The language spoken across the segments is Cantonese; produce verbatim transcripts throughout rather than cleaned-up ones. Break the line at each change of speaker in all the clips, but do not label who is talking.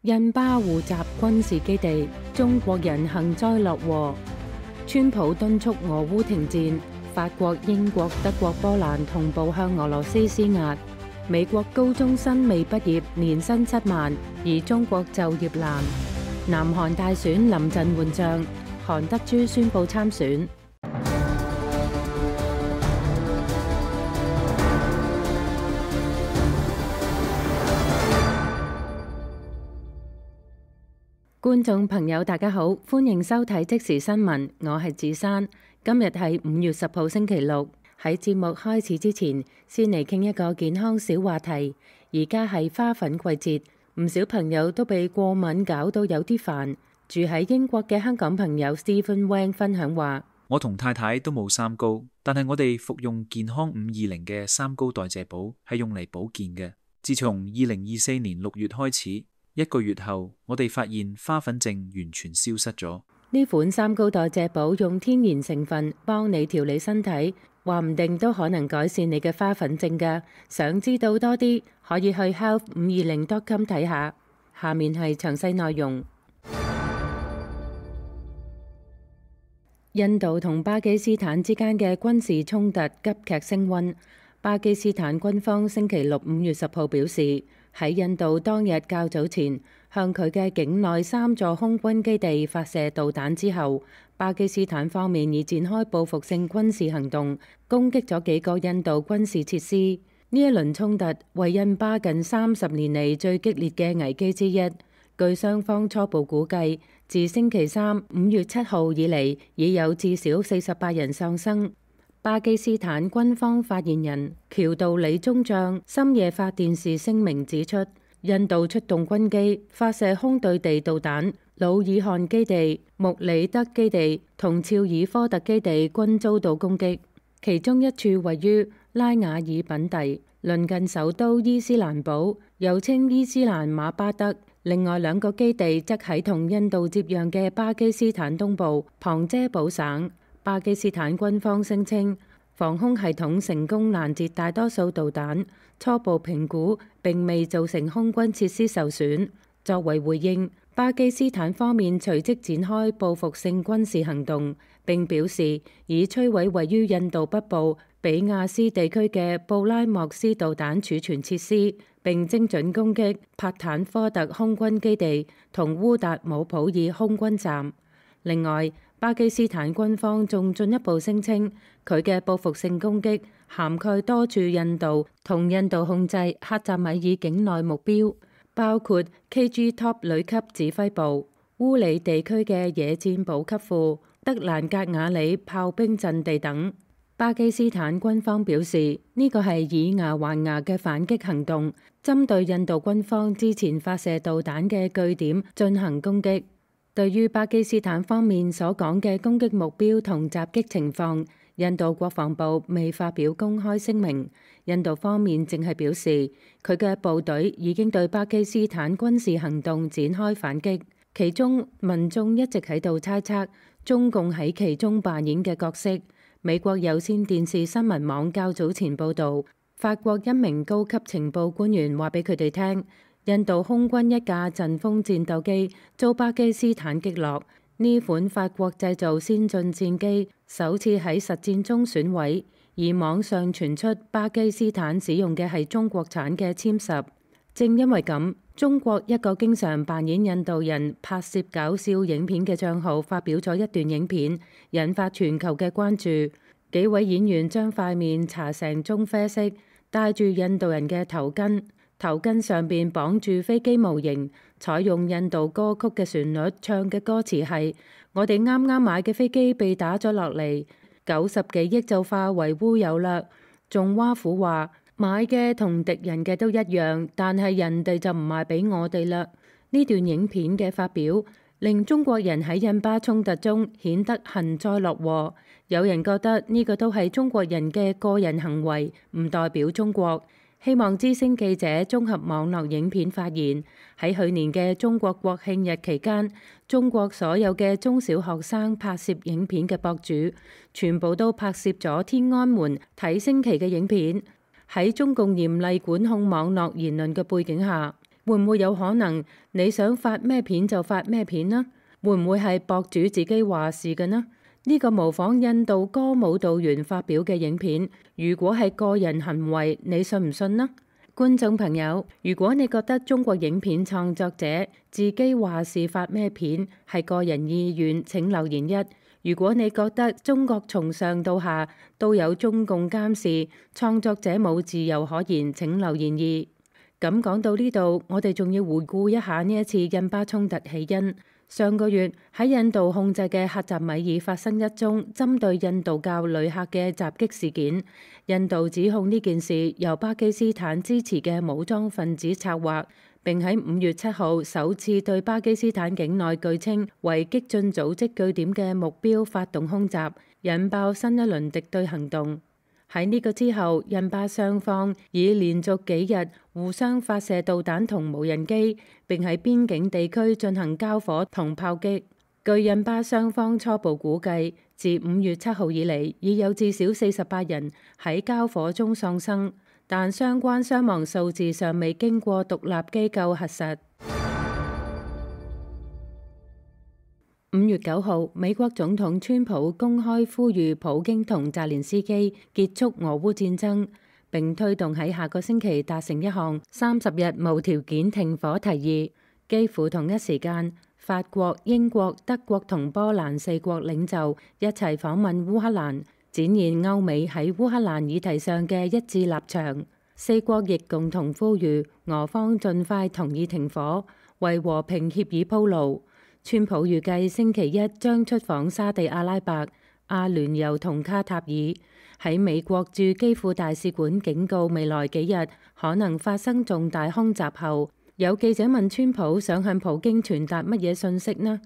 印巴互襲軍事基地，中國人幸災樂禍。川普敦促俄烏停戰，法國、英國、德國、波蘭同步向俄羅斯施壓。美國高中生未畢業年薪七萬，而中國就業難。南韓大選臨陣換將，韓德洙宣布參選。觀眾朋友大家好，歡迎收睇即時新聞，我係子珊。今日係五月十號星期六。喺節目開始之前，先嚟傾一個健康小話題。而家係花粉季節，唔少朋友都被過敏搞到有啲煩。住喺英國嘅香港朋友 Stephen Wang 分享話：
我同太太都冇三高，但係我哋服用健康五二零嘅三高代謝寶係用嚟保健嘅。自從二零二四年六月開始，一個月後，我哋發現花粉症完全消失咗。
呢款三高代謝寶用天然成分幫你調理身體，話唔定都可能改善你嘅花粉症㗎。想知道多啲，可以去 health 五二零 dot com 睇下。下面係詳細內容。印度同巴基斯坦之間嘅軍事衝突急劇升溫。巴基斯坦軍方星期六五月十號表示，喺印度當日較早前向佢嘅境內三座空軍基地發射導彈之後，巴基斯坦方面已展開報復性軍事行動，攻擊咗幾個印度軍事設施。呢一輪衝突為印巴近三十年嚟最激烈嘅危機之一。據雙方初步估計，自星期三五月七號以嚟，已有至少四十八人喪生。巴基斯坦軍方發言人喬道理中將深夜發電視聲明指出，印度出動軍機發射空對地導彈，努爾汗基地、穆里德基地同肖爾科特基地均遭到攻擊，其中一處位於拉瓦爾品第，鄰近首都伊斯蘭堡，又稱伊斯蘭馬巴德。另外兩個基地則喺同印度接壤嘅巴基斯坦東部旁遮普省。巴基斯坦軍方聲稱，防空系統成功攔截大多數導彈，初步評估並未造成空軍設施受損。作為回應，巴基斯坦方面隨即展開報復性軍事行動，並表示已摧毀位於印度北部比亞斯地區嘅布拉莫斯導彈儲存設施，並精準攻擊帕坦科特空軍基地同烏達姆普爾空軍站。另外，巴基斯坦軍方仲進一步聲稱，佢嘅報復性攻擊涵蓋多處印度同印度控制克什米爾境內目標，包括 K G Top 旅級指揮部、烏里地區嘅野戰補給庫、德蘭格瓦里炮兵陣地等。巴基斯坦軍方表示，呢個係以牙還牙嘅反擊行動，針對印度軍方之前發射導彈嘅據點進行攻擊。對於巴基斯坦方面所講嘅攻擊目標同襲擊情況，印度國防部未發表公開聲明。印度方面淨係表示，佢嘅部隊已經對巴基斯坦軍事行動展開反擊，其中民眾一直喺度猜測中共喺其中扮演嘅角色。美國有線電視新聞網較早前報導，法國一名高級情報官員話俾佢哋聽，印度空軍一架陣風戰鬥機遭巴基斯坦擊落，呢款法國製造先進戰機首次喺實戰中損毀，而網上傳出巴基斯坦使用嘅係中國產嘅殲十。正因為咁，中國一個經常扮演印度人拍攝搞笑影片嘅帳號發表咗一段影片，引發全球嘅關注。幾位演員將塊面搽成棕啡色，戴住印度人嘅頭巾。頭巾上邊綁住飛機模型，採用印度歌曲嘅旋律，唱嘅歌詞係：我哋啱啱買嘅飛機被打咗落嚟，九十幾億就化為烏有啦。仲挖苦話買嘅同敵人嘅都一樣，但係人哋就唔賣俾我哋啦。呢段影片嘅發表，令中國人喺印巴衝突中顯得幸災樂禍。有人覺得呢個都係中國人嘅個人行為，唔代表中國。希望之聲記者綜合網絡影片發現，喺去年嘅中國國慶日期間，中國所有嘅中小學生拍攝影片嘅博主，全部都拍攝咗天安門睇升旗嘅影片。喺中共嚴厲管控網絡言論嘅背景下，會唔會有可能你想發咩片就發咩片呢？會唔會係博主自己話事嘅呢？呢個模仿印度歌舞蹈員發表嘅影片，如果係個人行為，你信唔信呢？觀眾朋友，如果你覺得中國影片創作者自己話事發咩片係個人意願，請留言一。如果你覺得中國從上到下都有中共監視，創作者冇自由可言，請留言二。咁講到呢度，我哋仲要回顧一下呢一次印巴衝突起因。上個月喺印度控制嘅克什米爾發生一宗針對印度教旅客嘅襲擊事件，印度指控呢件事由巴基斯坦支持嘅武裝分子策劃，並喺五月七號首次對巴基斯坦境內據稱為激進組織據點嘅目標發動空襲，引爆新一輪敵對行動。喺呢個之後，印巴雙方已連續幾日互相發射導彈同無人機，並喺邊境地區進行交火同炮擊。據印巴雙方初步估計，自五月七號以嚟，已有至少四十八人喺交火中喪生，但相關傷亡數字尚未經過獨立機構核實。五月九號，美國總統川普公開呼籲普京同澤連斯基結束俄烏戰爭，並推動喺下個星期達成一項三十日無條件停火提議。幾乎同一時間，法國、英國、德國同波蘭四國領袖一齊訪問烏克蘭，展現歐美喺烏克蘭議題上嘅一致立場。四國亦共同呼籲俄方盡快同意停火，為和平協議鋪路。川普預計星期一將出訪沙地阿拉伯、阿聯酋同卡塔爾。喺美國駐基輔大使館警告未來幾日可能發生重大空襲後，有記者問川普想向普京傳達乜嘢訊息呢？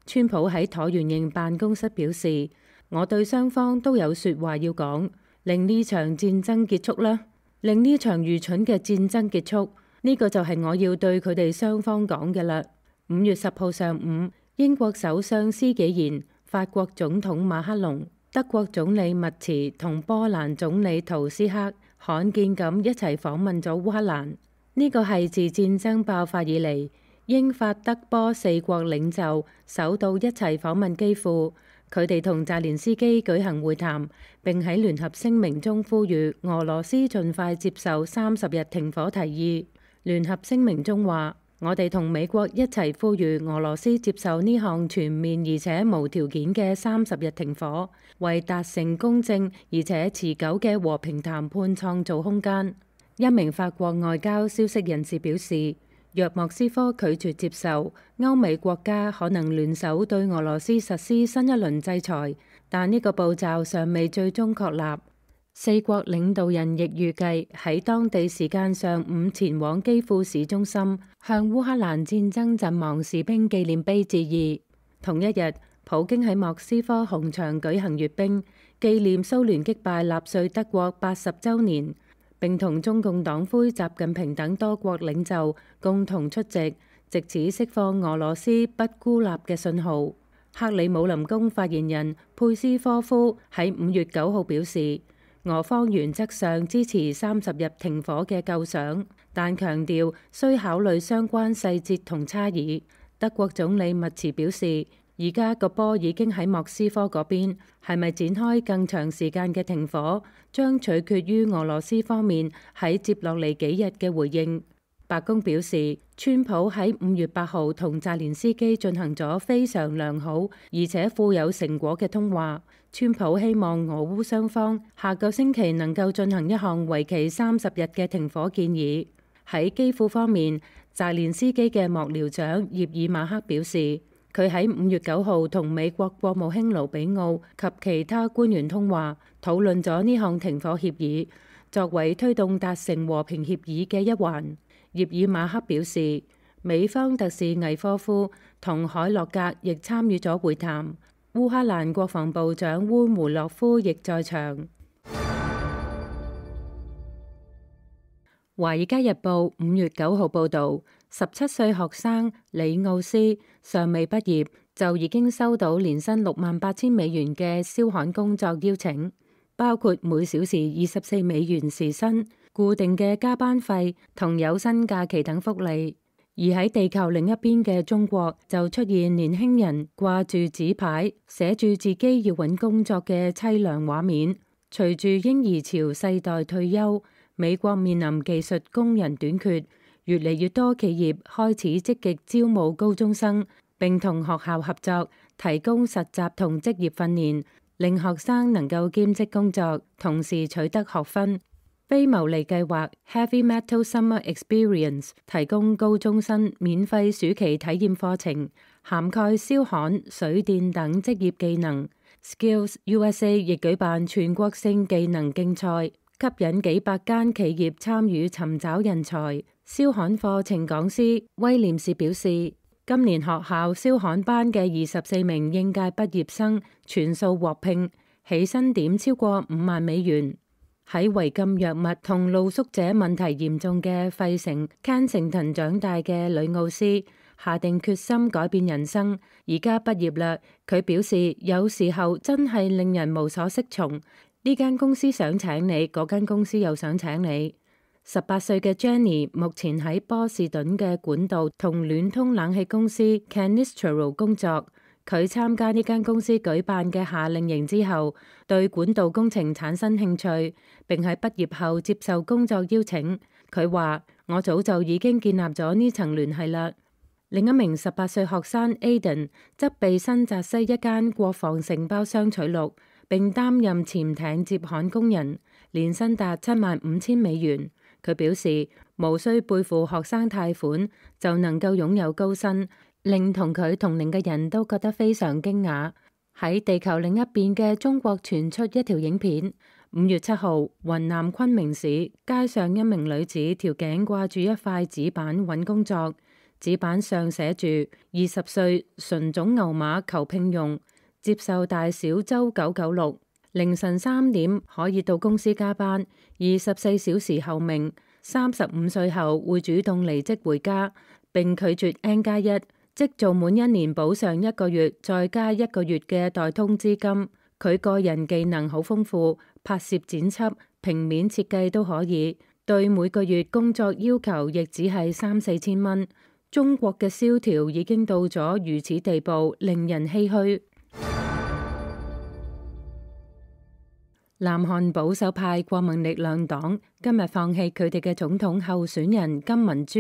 川普喺橢圓形辦公室表示：我對雙方都有說話要講，令呢場戰爭結束啦，令呢場愚蠢嘅戰爭結束。呢個就係我要對佢哋雙方講嘅啦。五月十號上午，英國首相施紀賢、法國總統馬克龍、德國總理密茨同波蘭總理圖斯克罕見咁一齊訪問咗烏克蘭。呢個係自戰爭爆發以嚟，英法德波四國領袖首度一齊訪問基輔。佢哋同澤連斯基舉行會談，並喺聯合聲明中呼籲俄羅斯盡快接受三十日停火提議。聯合聲明中話：我哋同美國一齊呼籲俄羅斯接受呢項全面而且無條件嘅三十日停火，為達成公正而且持久嘅和平談判創造空間。一名法國外交消息人士表示，若莫斯科拒絕接受，歐美國家可能聯手對俄羅斯實施新一輪制裁，但呢個步驟尚未最終確立。四國領導人亦預計喺當地時間上午前往基輔市中心，向烏克蘭戰爭陣亡士兵紀念碑致意。同一日，普京喺莫斯科紅場舉行閱兵，紀念蘇聯擊敗納粹德國八十週年，並同中共黨魁習近平等多國領袖共同出席，藉此釋放俄羅斯不孤立嘅信號。克里姆林宮發言人佩斯科夫喺五月九號表示，俄方原則上支持三十日停火嘅構想，但強調需考慮相關細節同差異。德國總理密茨表示，而家個波已經喺莫斯科嗰邊，係咪展開更長時間嘅停火，將取決於俄羅斯方面喺接落嚟幾日嘅回應。白宮表示，川普喺五月八號同澤連斯基進行咗非常良好而且富有成果嘅通話。川普希望俄烏雙方下個星期能夠進行一項為期三十日嘅停火建議。喺基輔方面，澤連斯基嘅幕僚長葉爾馬克表示，佢喺五月九號同美國國務卿盧比奧及其他官員通話，討論咗呢項停火協議，作為推動達成和平協議嘅一環。葉爾馬克表示，美方特使魏科夫同海洛格亦參與咗會談。烏克蘭國防部長烏梅洛夫亦在場。《華爾街日報》五月九號報導，十七歲學生李奧斯尚未畢業就已經收到年薪六萬八千美元嘅燒焊工作邀請，包括每小時二十四美元時薪、固定嘅加班費同有薪假期等福利。而喺地球另一邊嘅中國就出現年輕人掛住紙牌，寫住自己要搵工作嘅淒涼畫面。隨住嬰兒潮世代退休，美國面臨技術工人短缺，越嚟越多企業開始積極招募高中生，並同學校合作，提供實習同職業訓練，令學生能夠兼職工作，同時取得學分。非牟利計劃 Heavy Metal Summer Experience 提供高中生免費暑期體驗課程，涵蓋燒焊、水電等職業技能。Skills U S A 亦舉辦全國性技能競賽，吸引幾百間企業參與尋找人才。燒焊課程講師威廉士表示，今年學校燒焊班嘅二十四名應屆畢業生全數獲聘，起薪點超過五萬美元。喺違禁藥物同露宿者問題嚴重嘅費城 Kensington 長大嘅呂奧斯下定決心改變人生，而家畢業啦。佢表示有時候真係令人無所適從，呢間公司想請你，嗰間公司又想請你。十八歲嘅 Jenny 目前喺波士頓嘅管道同暖通冷氣公司 Canistro 工作。佢參加呢間公司舉辦嘅夏令營之後，對管道工程產生興趣，並喺畢業後接受工作邀請。佢話：我早就已經建立咗呢層聯繫啦。另一名十八歲學生 Aiden 則被新澤西一間國防承包商取錄，並擔任潛艇接焊工人，年薪達七萬五千美元。佢表示無需背負學生貸款就能夠擁有高薪，令同佢同齡嘅人都覺得非常驚訝。喺地球另一邊嘅中國傳出一條影片。五月七號，雲南昆明市街上一名女子條頸掛住一塊紙板揾工作，紙板上寫住二十歲純種牛馬求聘用，接受大小周九九六，凌晨三點可以到公司加班，二十四小時候命，三十五歲後會主動離職回家，並拒絕 N 加一。即做滿一年補上一個月，再加一個月嘅代通資金。佢個人技能好豐富，拍攝剪輯、平面設計都可以。對每個月工作要求亦只係三四千蚊。中國嘅蕭條已經到咗如此地步，令人唏噓。南韓保守派國民力量黨今日放棄佢哋嘅總統候選人金文珠，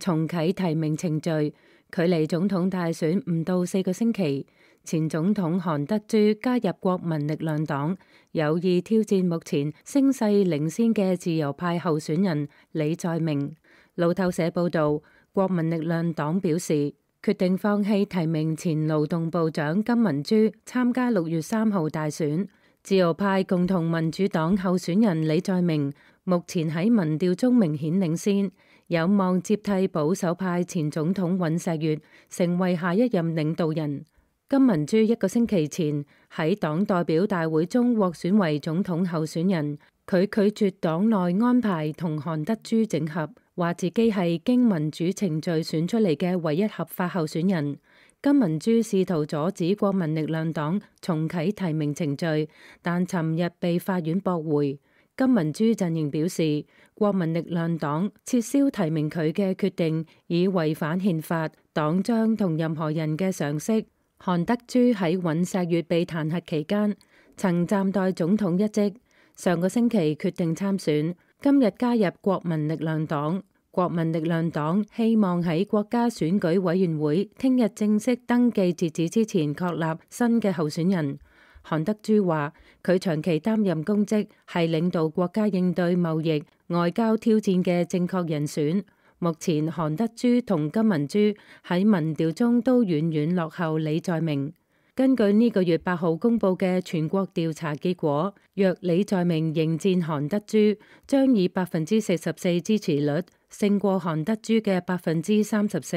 重啟提名程序。距離總統大選唔到四個星期，前總統韓德洙加入國民力量黨，有意挑戰目前聲勢領先嘅自由派候選人李在明。路透社報道，國民力量黨表示決定放棄提名前勞動部長金文珠參加六月三號大選。自由派共同民主黨候選人李在明目前喺民調中明顯領先，有望接替保守派前總統尹錫悅成為下一任領導人。金文珠一個星期前喺黨代表大會中獲選為總統候選人，佢拒絕黨內安排同韓德洙整合，話自己係經民主程序選出嚟嘅唯一合法候選人。金文珠試圖阻止國民力量黨重啟提名程序，但尋日被法院駁回。金文珠陣營表示，國民力量黨撤銷提名佢嘅決定已違反憲法，黨章同任何人嘅常識。韓德洙喺尹錫悅被彈劾期間曾暫代總統一職，上個星期決定參選，今日加入國民力量黨。國民力量黨希望喺國家選舉委員會聽日正式登記截止之前確立新嘅候選人。韓德洙話佢長期擔任公職，係領導國家應對貿易、外交挑戰嘅正確人選。目前韓德洙同金文珠喺民調中都遠遠落後李在明。根據呢個月八號公佈嘅全國調查結果，若李在明迎戰韓德洙，將以百分之四十四支持率勝過韓德洙嘅百分之三十四。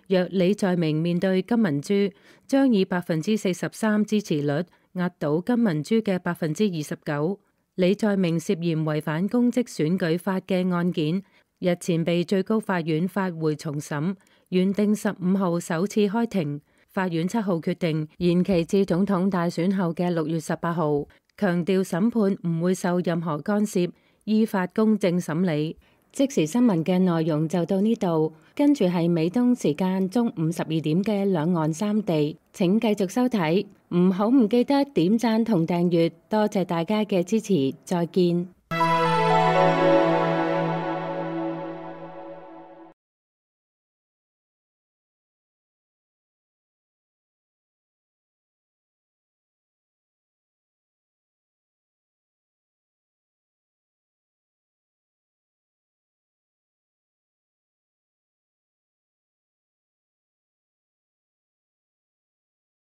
若李在明面對金文珠，將以百分之四十三支持率壓倒金文珠嘅百分之二十九。李在明涉嫌違反公職選舉法嘅案件，日前被最高法院發回重審，原定十五號首次開庭。法院七號決定延期至總統大選後嘅六月十八號，強調審判唔會受任何干涉，依法公正審理。即時新聞嘅內容就到呢度，跟住係美東時間中午十二點嘅兩岸三地。請繼續收睇，唔好唔記得點讚同訂閱，多謝大家嘅支持，再見。